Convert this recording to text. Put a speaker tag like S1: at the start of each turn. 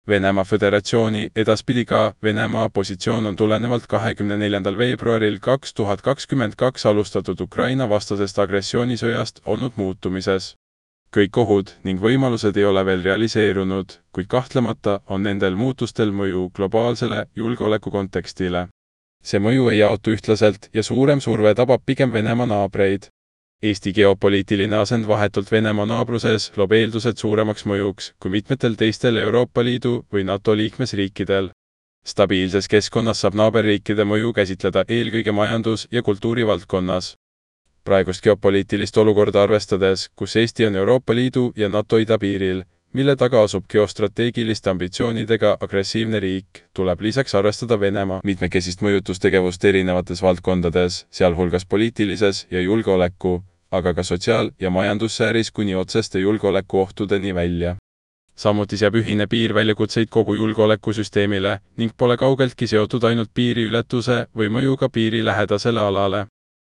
S1: Venemaa Föderatsiooni, edaspidi ka Venemaa positsioon on tulenevalt 24. veebruaril 2022 alustatud Ukraina vastasest agressioonisõjast olnud muutumises. Kõik ohud ning võimalused ei ole veel realiseerunud, kuid kahtlemata on nendel muutustel mõju globaalsele julgeolekukontekstile. See mõju ei jaotu ühtlaselt ja suurem surve tabab pigem Venemaa naabreid. Eesti geopoliitiline asend vahetult Venemaa naabruses loob eeldused suuremaks mõjuks kui mitmetel teistel Euroopa Liidu või NATO liikmesriikidel. Stabiilses keskkonnas saab naaberriikide mõju käsitleda eelkõige majandus- ja kultuurivaldkonnas. Praegust geopoliitilist olukorda arvestades, kus Eesti on Euroopa Liidu ja NATO idapiiril, mille taga asub geostrateegiliste ambitsioonidega agressiivne riik, tuleb lisaks arvestada Venemaa mitmekesist mõjutustegevust erinevates valdkondades, sealhulgas poliitilises ja julgeoleku, aga ka sotsiaal- ja majandussfääris kuni otseste julgeolekuohtudeni välja. Samuti seab ühine piir väljakutseid kogu julgeolekusüsteemile ning pole kaugeltki seotud ainult piiriületuse või mõjuga piiri lähedasele alale.